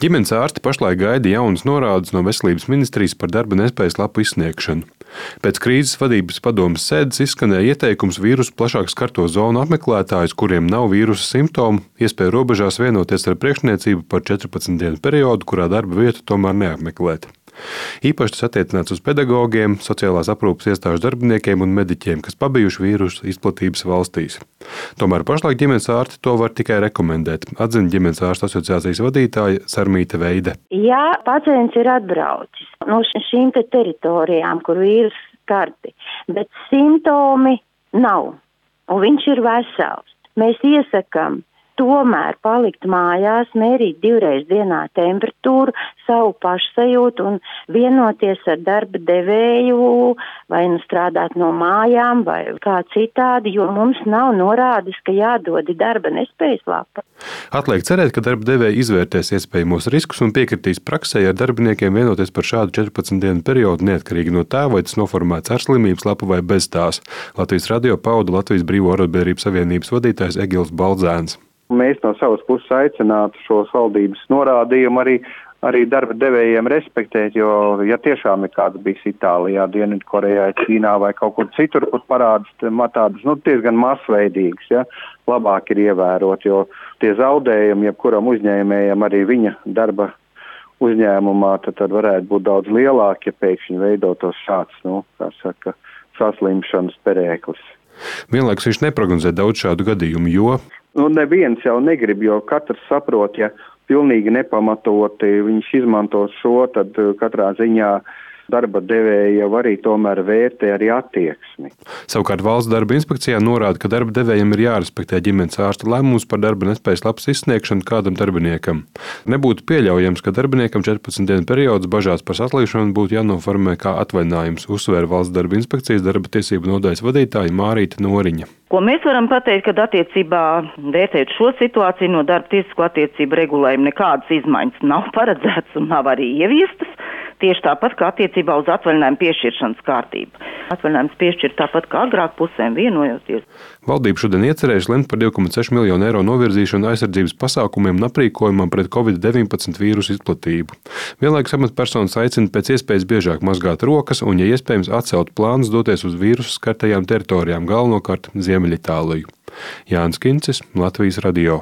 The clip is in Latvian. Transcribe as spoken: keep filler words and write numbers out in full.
Ģimenes ārsti pašlaik gaida jaunas norādes no Veselības ministrijas par darba nespējas lapu izsniegšanu. Pēc krīzes vadības padomes sēdes izskanēja ieteikums vīrusu plašāk skarto zonu apmeklētājus, kuriem nav vīrusa simptomu, iespēja robežās vienoties ar priekšniecību par četrpadsmit dienu periodu, kurā darba vietu tomēr neapmeklēt. Īpaši tas attiecināts uz pedagogiem, sociālās aprūpes iestāžu darbiniekiem un mediķiem, kas pabijuši vīrusu izplatības valstīs. Tomēr pašlaik ģimenes ārsti to var tikai rekomendēt, atzina ģimenes ārstu asociācijas vadītāja Sarmīte Veide. Ja pacients ir atbraucis no šīm te teritorijām, kur vīrusu skarti, bet simptomi nav, un viņš ir vesels, mēs iesakām tomēr palikt mājās, mērīt divreiz dienā temperatūru, savu pašsajūtu un vienoties ar darba devēju, vai nu strādāt no mājām, vai kā citādi, jo mums nav norādes, ka jādod darba nespējas lapa. Atliek cerēt, ka darba devēji izvērtēs iespējamos riskus un piekritīs praksē ar darbiniekiem vienoties par šādu četrpadsmit dienu periodu neatkarīgi no tā, vai tas noformēts ar slimības lapu vai bez tās. Latvijas radio pauda Latvijas Brīvo arotbiedrību savienības vadītājs Egils Baldzēns. Mēs no savas puses aicinātu šos valdības norādījumu arī, arī darba devējiem respektēt, jo, ja tiešām ir kāds bijis Itālijā, Dienvidkorejā, Ķīnā vai kaut kur citur, kur parādas tādas, nu, diezgan masveidīgas, ja, labāk ir ievērot, jo tie zaudējumi, jebkuram uzņēmējam arī viņa darba uzņēmumā, tad, tad varētu būt daudz lielāki, ja pēkšņi veidotos šāds, nu, kā saka, saslimšanas perēklis. Vienlaikus viņš neprognozē daudz šādu gadījumu, jo Nu, neviens jau negrib, jo katrs saprot, ja pilnīgi nepamatoti viņš izmantos šo, tad katrā ziņā darba devēja jau arī tomēr vērtē arī attieksmi. Savukārt valsts darba inspekcijā norāda, ka darba devējiem ir jārespektē ģimenes ārsta lēmums par darba nespējas lapas izsniegšanu kādam darbiniekam. Nebūtu pieļaujams, ka darbiniekam četrpadsmit dienu periods bažās par saslīšanu būtu jānoformē kā atvaļinājums, uzsvēra valsts darba inspekcijas darba tiesību nodaļas vadītāja Mārīta Noriņa. Ko mēs varam pateikt, kad attiecībā vērtēt šo situāciju no darba tiesisko attiecību regulējuma nekādas izmaiņas nav paredzētas un nav arī ieviestas, tieši tāpat kā attiecībā uz atvaļinājumu piešķiršanas kārtību. Atvaļinājums piešķirt tāpat kā agrāk pusēm vienojoties. Valdība šodien iecerējusi lemt par divi komats seši miljonu eiro novirzīšanu aizsardzības pasākumiem un aprīkojumam pret covid deviņpadsmit vīrusu izplatību. Vienlaikus amatpersonas aicina pēc iespējas biežāk mazgāt rokas un, ja iespējams, atcelt plānus doties uz vīrusu skartajām teritorijām, galvenokārt Ziemeļitāliju. Jānis Kincis, Latvijas radio.